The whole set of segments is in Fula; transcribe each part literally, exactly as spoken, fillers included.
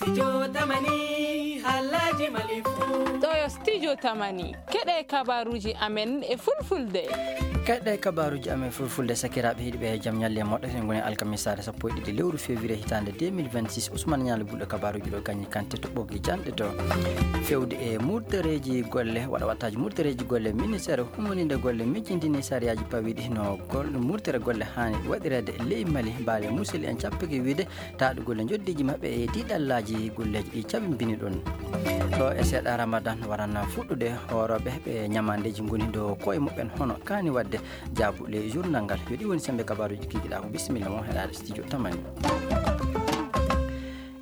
Studio Tamani, haalaaji Mali fuu. Ɗo yo Studio Tamani. Keɗe kabaruuji amen e fulfulde. Keɗe kabaruuji amen fulfulde, sakiraaɓe heɗiiɓe, jam ñalle e moɗɗo. Eɗen ngoni alkamisaare sappo e ɗiɗi lewru février hitaande deux mille vingt-six. Ousmane Ñaali Buɗo kabaruuji ɗo kañum kante to ɓoggi janɗe to. Fewde e murtereeji golle, waɗa wattaaji murtereeji golle, ministeer humoniinde golle mijjintini sariyaaji pawiiɗi no gol-, murtere golle haani waɗireede ley Mali. Baale Musel en cappike wiide taaɗugol e njoddiiji maɓɓe e tiiɗallaaji golleeji ɗi cabimbini ɗon. Ɗo e seeɗa Ramadan waran fuɗɗude, hoorooɓe ɓe ñamaandeeji ngoni dow koye muɓɓen hono kaani waɗde jaabu ley journal ngal. Yo ɗi woni semmbe kabaruuji kikiɗaa ko. Bisimilla mon heɗaade studio Tamani.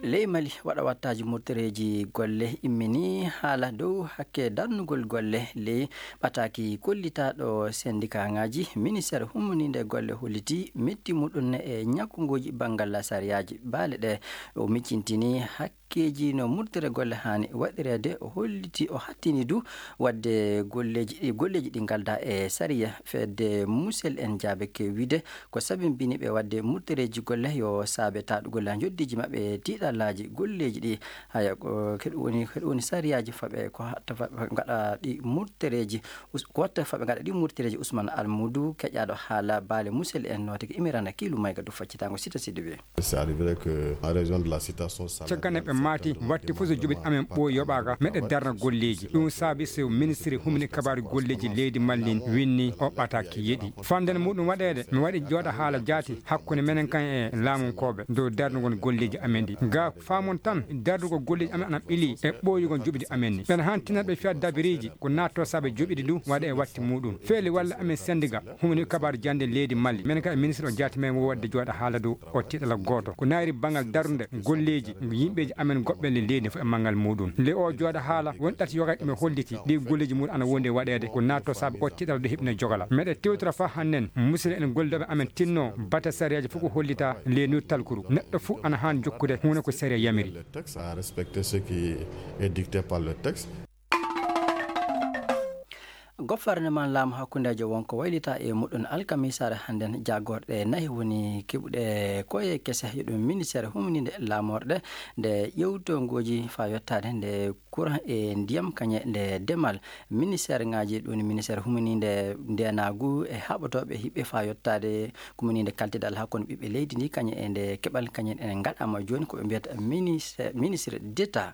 Ley Mali waɗa wattaaji murtereeji golle immini haala dow hakke darnugol golle ley ɓataaki kollitaaɗo sendikaŋaaji. Ministeer humoniinde golle holliti metti muɗum e ñakkunguuji banngal sariyaaji baale ɗe. O miccintini hakkeeji no murtere golle haani waɗireede. O holliti, o hattini du waɗde golleeji ɗi, golleeji ɗi ngalda e sariya. Fedde Musel en jaabike wiide ko sabimbini ɓe waɗde murtereeji golle yo saabe taaɗugol njoddiiji maɓɓe e tiiɗallaaji golleeji ɗi. Haya, ko, ko ɗum woni, ko ɗum woni sariyaaji faɓe, ko hatta faɓe ngaɗa ɗi murtereeji, us-, ko watta faɓe ngaɗa ɗi murtereeji. Ousmane Almuudu, keƴaaɗo haala baale Musel en, nootike Imirana Kiilu Mayga dow faccitaango Sita Sidibe. C'est arrivé que en raison de la situation sanitaire, caggal nde ɓe maati watti fof so joɓiɗi amen ɓooyi yoɓaaka, meɗe darna golleeji. Ɗum saabi so ministre humni kabaaru golleeji leydi Mali ndin winni o ɓataaki yeɗi. Fannden muɗum waɗeede, mi waɗi jooɗa haala jaati hakkunde menen kan e laamunkooɓe dow darnugol golleeji amen ɗi. Ga faamon tan, darnugol golleeji amen ana ɓili e ɓooyugol joɓiɗi amen ni. Ɓen han tinat ɓe fiya dabiriiji ko naatto saabe joɓiɗi ndu waɗa e watti muɗum. Feeli walla amen sendiga humni kabaaru jannde leydi Mali. Menen kan e ministre o jaati men wo waɗde jooɗa haala dow o tiiɗala gooto. Ko naayri banngal darnde golleeji yimɓeeji amen goɓɓe le leydi fof e manngal muɗum. Nde o jooɗa haala, won ɗati yoga ɗi ɓe holliti, ɗi golleeji muɗum ana wondi e waɗeede, ko naatto saabe o tiiɗal ɗo heɓino jogala. Meɗe tewtora fa hannden, musidɓe en gollidooɓe amen tinno, bate sariyaaji fof ko hollita leydi talkuru. Neɗɗo fof ana haan jokkude huunde ko sariya yamiri. Le texte, à respecter ce qui est dicté par le texte. Gouvernement laamu hakkundeejo wonko waylita e muɗum alkamisaare hannden. Jaagorɗe nayi woni keɓuɗe koye kese, yo ɗum ministeer humniinde laamorɗe nde ƴewtongooji faa yottaade nde courant e ndiyam kañe nde demal. Ministeer ŋaaji ɗum, ministeer humniinde ndeenaagu e haɓotooɓe hiɓɓe faa yottaade kumniinde kaltidal hakkunde ɓiɓɓe leydi ndi kañe e nde keɓal kañe en ngaɗaama jooni ko ɓe mbiyata ministre, ministre d'État.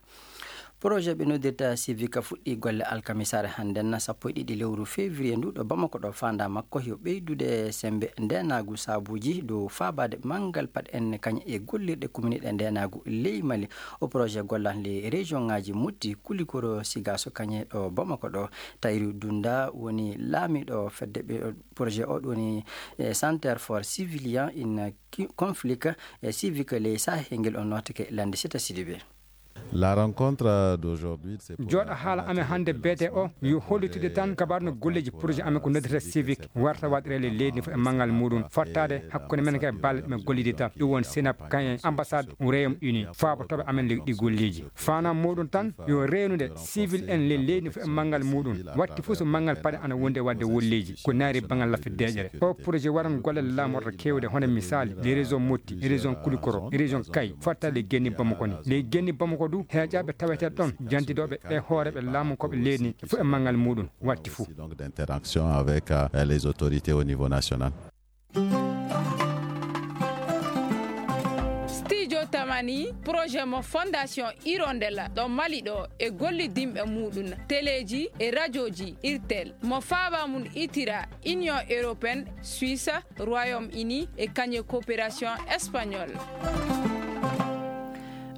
Projet ɓe noddirta Civic fuɗɗi golle alkamisaare hannden, sappo e ɗiɗi lewru février ndu ɗo Bamako ɗo. Faandaa makko yo ɓeydude semmbe ndeenaagu saabuuji dow faabaade manngal paɗe en kañe e gollirɗe kumniiɗe ndeenaagu ley Mali. O projet gollan ley région ŋaaji Mopti, Koulikoro, Sigasso kañe ɗo Bamako ɗo. Tayru Dunda woni laamiiɗo fedde ɓe, projet o ɗum woni, eh, Center for Civilian in Ki-, Conflict, eh, Civic ley Sahel ngel, on nootake lande Sita Sidibe. La rencontre d'aujourd'hui, c'est pour jooɗa haala amen hannde beete o yo hollitude tan kabaar no golleeji projet amen ko noddata Civic warta waɗireede leydi fof e manngal muɗum, fottaade hakkunde men e balle ɗe men gollidi tan. Ɗum won Senap kañum e ambassade Royaume Uni, faabotooɓe amen ley ɗi golleeji. Faanaa muɗum tan yo reenude civil en ley leydi fof e manngal muɗum. Watti fof so manngal paɗe ana wondi e waɗde wolleeji, ko naayri banngal laffi deeƴere. O projet waran golle laamorɗe keewɗe, hono misaali, les régions Mopti, région Koulikoro, région Kayes, fottaade ley genni Bamako ni. Ley genni Bamako du, heeƴaaɓe taweteeɓe ɗon, jantidooɓe e hooreeɓe laamu ko ɓe leydi ni, fof e manngal muɗum, watti fof. Donc d'interaction avec, euh, les autorités au niveau national. Studio Tamani, projet mo Fondation Hirondelle ɗo Mali ɗo e gollidinɓe muɗum, teleeji e rajooji Irtel, mo faaba mum itira Union Européenne, Suisse, Royaume Uni e kañum coopération espagnole.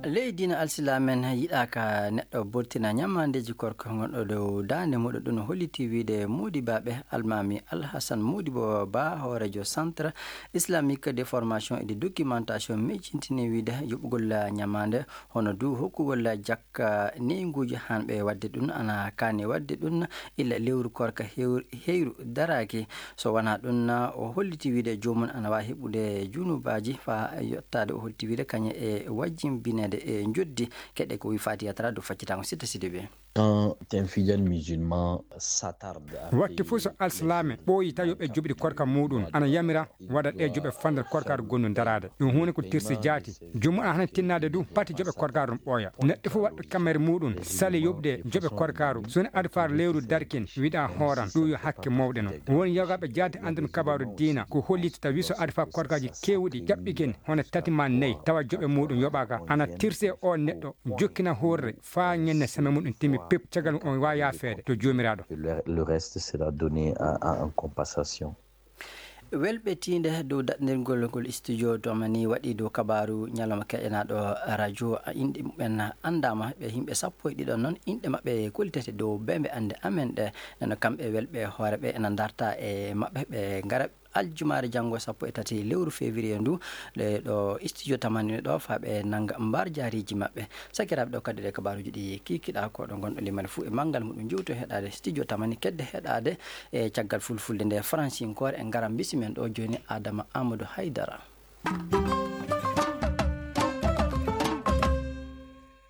Ley diina alsilamen yiɗaaka neɗɗo burtina ñamaandeeji korka ngonɗo dow daande muɗum. Ɗum holliti wiide moodibaaɓe Almaami Alhasan Moodibo Ba, hooreejo Centre Islamique de Formation et de Documentation, miijintini wiide yoɓugol ñamaande hono du hokkugol jakka neynguuji haanɓe waɗde ɗum ana kaani waɗde ɗum illa lewru korka hew-, heyru daraaki. So wanaa ɗum, o holliti wiide joomum ana waawi heɓude junubaaji faa yottaade, o holliti wiide kañum e wajjimbineede e njoddi. Keɗe ko wi Fatiya Tara dow faccitango Sitta Sidibe. Quand un fidèle musulman s'attarde à wakti fof so alsilaame ɓooyi tawi yo ɓe joɓiɗi korka muɗum, ana yamira waɗa ɗe joɓe fandal korkaaru gonnu daraade. Ɗum huunde ko tirsi jaati. Jumma hana tinnaade du pati joɓe korkaaru ɗum ɓooya. Neɗɗo fof waɗɗo kamere muɗum sali yoɓde joɓe korkaaru. So woni adfaar lewru darkin wiɗa hooran ɗum yo hakke mawɗe noon. Won yogaaɓe jaati anndun kabaaru diina ko holliti tawi so adfaar korkaaji keewɗi ƴaɓɓikin hono tati ma nayi tawa joɓe muɗum yoɓaaka. Ana tirse o neɗɗo jokkina hoorre faa ñande semaine muɗum timmi pep, caggal on waawi yaafeede to joomiraaɗo. Le, le reste sera donné à, à, en compensation. Welɓe tiinde dow daɗndirgol ngol studio tamani waɗi dow kabaaru ñalawma keɗenaaɗo radio. Inɗe mumen anndaama, ɓe yimɓe sappo e ɗiɗo noon, inɗe maɓɓe kollitete dow bembe annde amen ɗe. Nano kamɓe welɓe hoore ɓe ena ndarta e maɓɓe, ɓe ngara aljumaare janngo sappo e tati lewru février ndu, ɗe ɗo studio tamani ɗo faa ɓe nannga mbaar jaariiji maɓɓe. Sakiraaɓe, ɗo kadi ɗe kabaaruuji ɗi kikiɗa ko ɗo ngonɗo limane fuu e manngal muɗum jowto heɗaade studio tamani kedde heɗaade e caggal fulfulde nde francinkoore. En ngaran mbisi men ɗo jooni Adama Amadou Haydara.